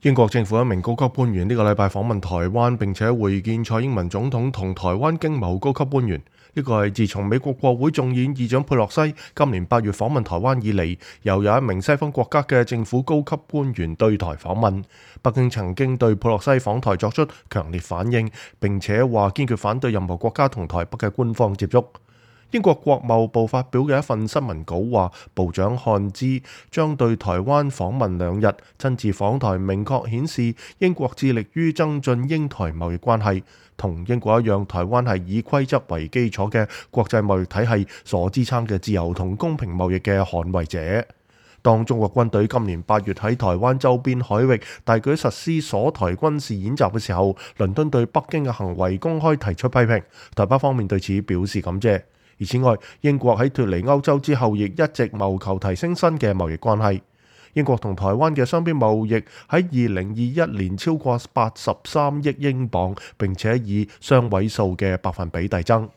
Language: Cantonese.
英國政府一名高級官員呢個禮拜訪問台灣，並且會見蔡英文總統同台灣經貿高級官員。呢個係自從美國國會眾議院議長佩洛西今年8月訪問台灣以嚟，又有一名西方國家嘅政府高級官員對台訪問。北京曾經對佩洛西訪台作出強烈反應，並且話堅決反對任何國家同台北嘅官方接觸。英國國貿部發表嘅一份新聞稿話，部長漢茲將對台灣訪問2日，親自訪台，明確顯示英國致力於增進英台貿易關係。同英國一樣，台灣係以規則為基礎嘅國際貿易體系所支撐嘅自由同公平貿易嘅捍衛者。當中國軍隊今年8月喺台灣周邊海域大舉實施鎖台軍事演習嘅時候，倫敦對北京嘅行為公開提出批評，台北方面對此表示感謝。而此外，英國喺脫離歐洲之後，亦一直謀求提升新嘅貿易關係。英國同台灣嘅雙邊貿易喺2021年超過83億英鎊，並且以雙位數嘅百分比遞增。